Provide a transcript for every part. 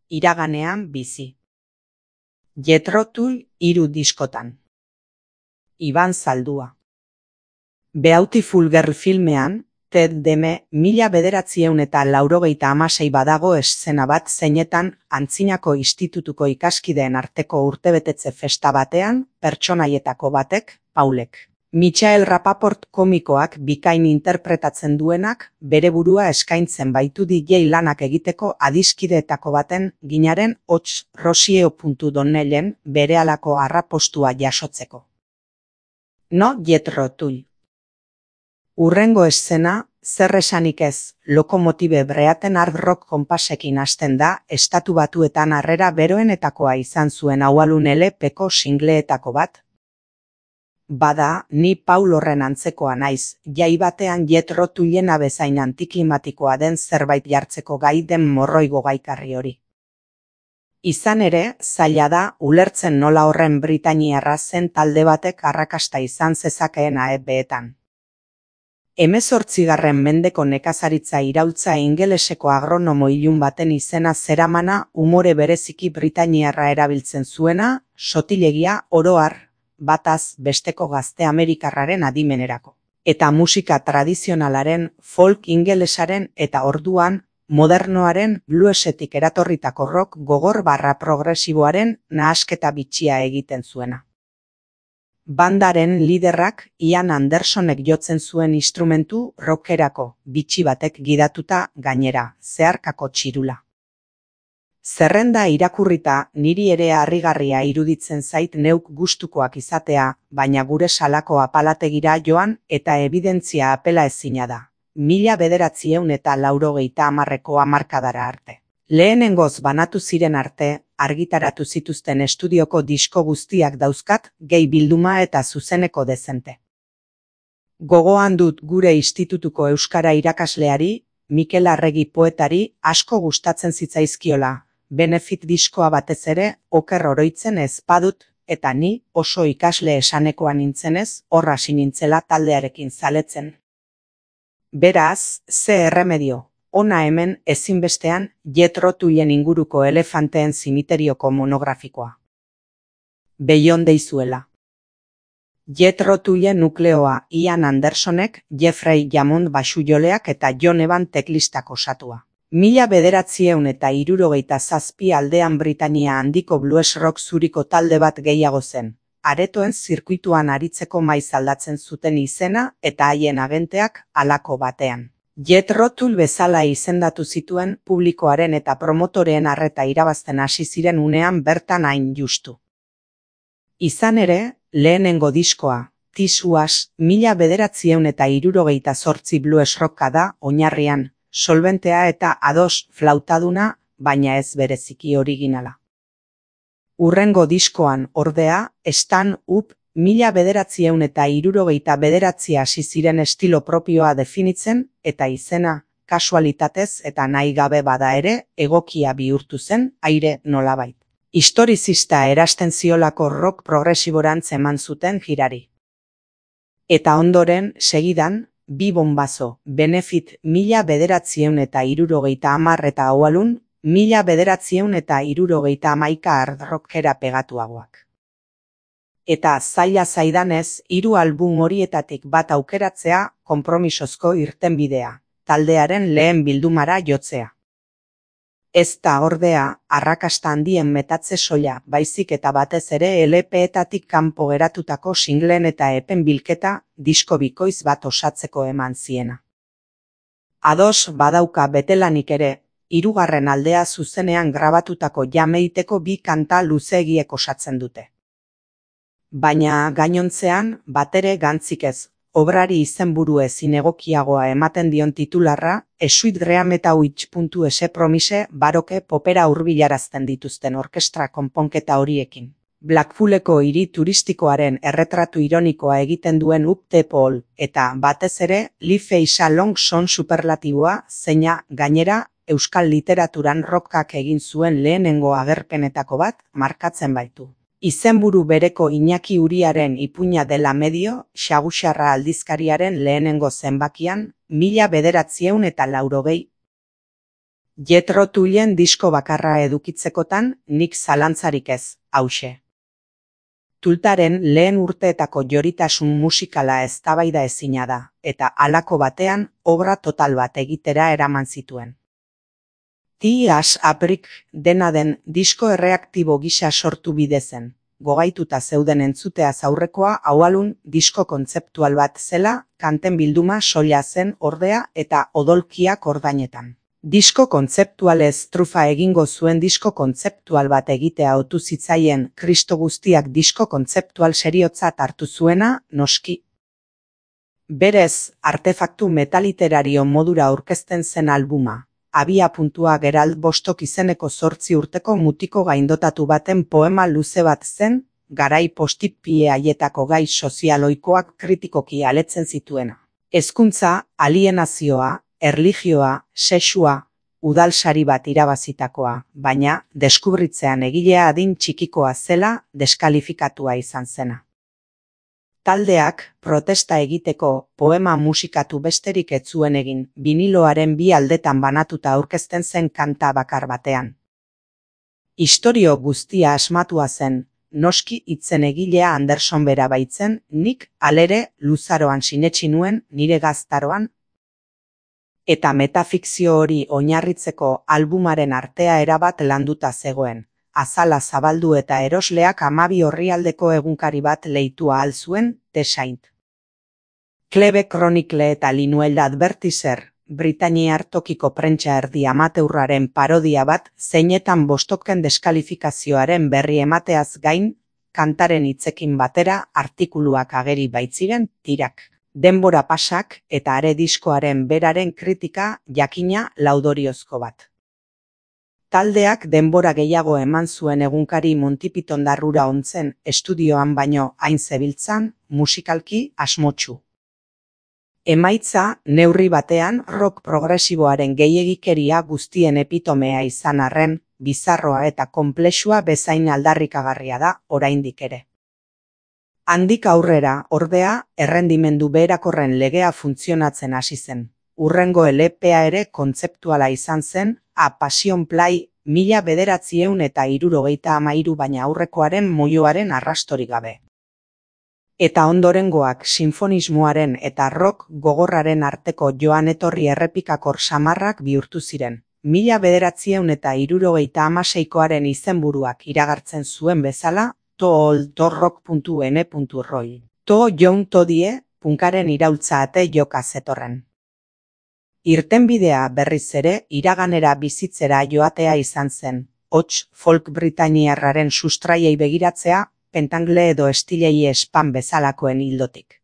iraganean bizi. Jethro Tull 3 diskotan. Iban Zaldua. Beautiful Girl filmean, Ted Deme 1986 badago eszena bat zeinetan antzinako institutuko ikaskideen arteko urtebetetze festa batean pertsonaietako batek, Paulek, Michael Rapaport komikoak bikain interpretatzen duenak bere burua eskaintzen baitu DJ lanak egiteko adiskideetako baten ginaren hots Rosio.Donnellen berehalako arrapostua jasotzeko. No Jethro Tull. Urrengo eszena, zer esanik ez, Lokomotibe Breaten hard rock konpasekin hasten da, Estatu Batuetan harrera beroenetakoa izan zuen Aualun LP-ko singleetako bat. Bada, ni Paul horren antzekoa naiz, jai batean Jethro Tullena bezain antiklimatikoa den zerbait jartzeko gai den morroigo gaikarri hori. Izan ere, zaila da, ulertzen nola horren britainiarra zen talde batek arrakasta izan zezakeena EB-etan. 18. mendeko nekazaritza iraultza ingeleseko agronomo ilun baten izena zeramana umore bereziki britainiarra erabiltzen zuena, sotilegia oro har, bataz besteko gazte amerikarraren adimenerako. Eta musika tradizionalaren, folk ingelesaren eta orduan, modernoaren bluesetik eratorritako rock gogor barra progresiboaren nahasketa bitxia egiten zuena. Bandaren liderrak Ian Andersonek jotzen zuen instrumentu rockerako, bitxi batek gidatuta gainera, zeharkako txirula. Zerrenda irakurrita niri ere harrigarria iruditzen zait neuk gustukoak izatea, baina gure salako apalategira joan eta ebidentzia apela ezina da. 1980ko hamarkadara arte. Lehenengoz banatu ziren arte, argitaratu zituzten estudioko disko guztiak dauzkat, gehi bilduma eta zuzeneko dezente. Gogoan dut gure institutuko euskara irakasleari, Mikel Arregi poetari, asko gustatzen zitzaizkiola, Benefit diskoa batez ere, oker oroitzen ez badut, eta ni oso ikasle esanekoa nintzenez, horra sinintzela taldearekin zaletzen. Beraz, ze erremedio. Ona hemen ezinbestean Jethro Tullen inguruko elefanteen zimiterioko monografikoa. Beyond deizuela. Jethro Tullen nukleoa Ian Andersonek, Jeffrey Hammond baxujoleak eta John Evan teklistak osatua. 1967 aldean Britania handiko blues rock zuriko talde bat gehiago zen. Aretoen zirkuituan aritzeko maiz aldatzen zuten izena eta haien agenteak halako batean. Jethro Tull bezala izendatu zituen publikoaren eta promotoreen arreta irabazten hasi ziren unean bertan hain justu. Izan ere, lehenengo diskoa, This Was 1978 blues rocka da oinarrian, solbentea eta ados flautaduna, baina ez bereziki originala. Urrengo diskoan, ordea, Stand Up 1979 hasi ziren estilo propioa definitzen, eta izena, kasualitatez eta nahi gabe bada ere, egokia bihurtu zen, aire nolabait. Historizista erasten ziolako rock progresiborantz eman zuten jirari. Eta ondoren, segidan, bi bonbazo, Benefit 1970 eta Aualun 1971 hard rockera pegatuagoak. Eta zaila zaidanez, 3 album horietatik bat aukeratzea konpromisozko irtenbidea, taldearen lehen bildumara jotzea. Ez da ordea, arrakasta handien metatze soila, baizik eta batez ere LP-etatik kanpo geratutako singlen eta epen bilketa, disko bikoiz bat osatzeko eman ziena. Ados badauka betelanik ere, 3. aldea zuzenean grabatutako jameiteko 2 kanta luzeegiek osatzen dute. Baina gainontzean, batere gantzik ez, obrari izenburu ezin egokiagoa ematen dion titularra, Sweet Dream eta Witch.s promise baroke popera hurbilarazten dituzten orkestra konponketa horiekin. Blackpooleko hiri turistikoaren erretratu ironikoa egiten duen Up the Pole, eta batez ere, Life is a Long Song superlatiboa, zeina gainera, euskal literaturan rockak egin zuen lehenengo agerpenetako bat, markatzen baitu. Izenburu bereko Iñaki Uriaren ipuina dela medio, Xaguxarra aldizkariaren lehenengo zenbakian, 1980. Jethro Tullen disko bakarra edukitzekotan nik zalantzarik ez, hauxe. Tultaren lehen urteetako joritasun musikala eztabaida ezina da, eta halako batean obra total bat egitera eraman zituen. T.S. Aprik dena den disko erreaktibo gisa sortu bide zen, gogaituta zeuden entzuteaz aurrekoa aualun disko kontzeptual bat zela, kanten bilduma soila zen ordea eta odolkiak ordainetan. Disko kontzeptualez trufa egingo zuen disko kontzeptual bat egitea otu zitzaien Kristo guztiak disko kontzeptual seriotzat hartu zuena, noski. Berez, artefaktu metaliterario modura aurkezten zen albuma, abia puntua Gerald Bostock izeneko 8 urteko mutiko gaindotatu baten poema luze bat zen, garai postipie haietako gai sozialoikoak kritikoki aletzen zituena. Hezkuntza, alienazioa, erlijioa, sexua, udalsari bat irabazitakoa, baina deskubritzean egilea adin txikikoa zela deskalifikatua izan zena. Taldeak protesta egiteko poema musikatu besterik ez zuen egin, biniloaren 2 aldetan banatuta aurkezten zen kanta bakar batean. Istorio guztia asmatua zen, noski hitzen egilea Anderson bera baitzen, nik alere luzaroan sinetsi nuen nire gaztaroan, eta metafikzio hori oinarritzeko albumaren artea erabat landuta zegoen, azala zabaldu eta erosleak 12 orrialdeko egunkari bat leitu ahal zuen, The Saint. Klebe Chronicle eta Linuel Advertiser, Britainiar tokiko prentsa erdi amateurraren parodia bat zeinetan Bostocken deskalifikazioaren berri emateaz gain, kantaren hitzekin batera artikuluak ageri baitziren tirak. Denbora pasak eta are diskoaren beraren kritika jakina laudoriozko bat. Taldeak denbora gehiago eman zuen egunkari Monty Python darrura ontzen estudioan baino hain zebiltzan, musikalki asmotsu. Emaitza, neurri batean, rock progresiboaren gehiegikeria guztien epitomea izan arren, bizarroa eta konplexua bezain aldarrikagarria da oraindik ere. Handik aurrera, ordea, errendimendu beherakorren legea funtzionatzen hasi zen. Hurrengo LPa ere kontzeptuala izan zen, A Passion Play 1973 baina aurrekoaren moioaren arrastorik gabe. Eta ondorengoak sinfonismoaren eta rock gogorraren arteko joan etorri errepikakor samarrak bihurtu ziren. 1976koaren izenburuak iragartzen zuen bezala, tooltorrock.n.roy. To John Todie, punkaren iraultza ate joka zetorren. Irtenbidea berriz ere iraganera bizitzera joatea izan zen, hots folk britainiarraren sustraiei begiratzea, pentangle edo estilei espan bezalakoen hildotik.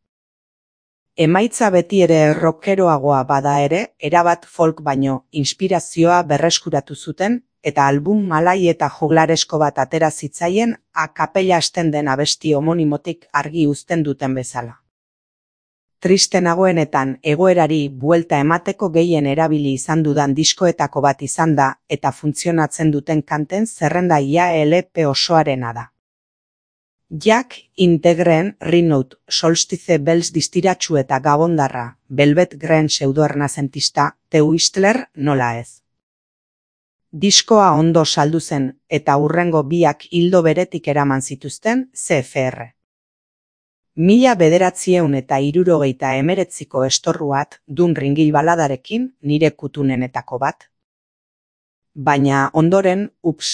Emaitza beti ere rockeroagoa bada ere, erabat folk baino inspirazioa berreskuratu zuten, eta album malai eta juglaresko bat atera zitzaien a kapella hasten den abesti homonimotik argi uzten duten bezala. Triste nagoenetan egoerari buelta emateko gehien erabili izan dudan diskoetako bat izan da eta funtzionatzen duten kanten zerrenda ia LP osoarena da. Jack Integren Renout Solstice Bells distiratsu eta gabondarra, Velvet Green pseudoernazentista, The Whistler nola ez. Diskoa ondo saldu zen eta hurrengo biak hildo beretik eraman zituzten CFR. 1979ko estorruat dun ringil baladarekin nire kutunenetako bat. Baina ondoren,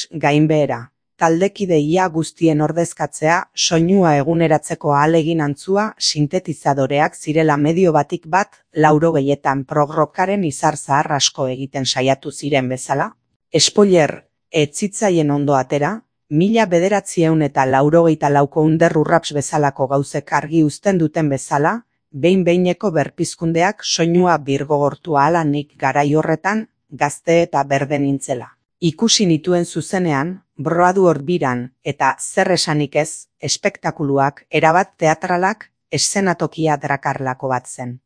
gainbehera, taldekide ia guztien ordezkatzea soinua eguneratzeko ahalegin antzua sintetizadoreak zirela medio batik bat 80etan prog-rockaren izar zahar asko egiten saiatu ziren bezala. Spoiler, ez zitzaien ondo atera, 1984ko underrurraps bezalako gauzek argi uzten duten bezala, behin-behineko berpizkundeak soinua birgogortu ahala nik garai horretan, gazte eta berde nintzela. Ikusi nituen zuzenean, Broadway biran eta zer esanik ez, espektakuluak erabat teatralak eszenatokia drakarlako bat zen.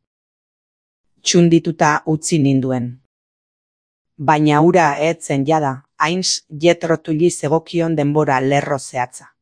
Txundituta utzi ninduen. Baina hura ez zen jada, hainz Jethro Tulli zegokion denbora lerro zehatza.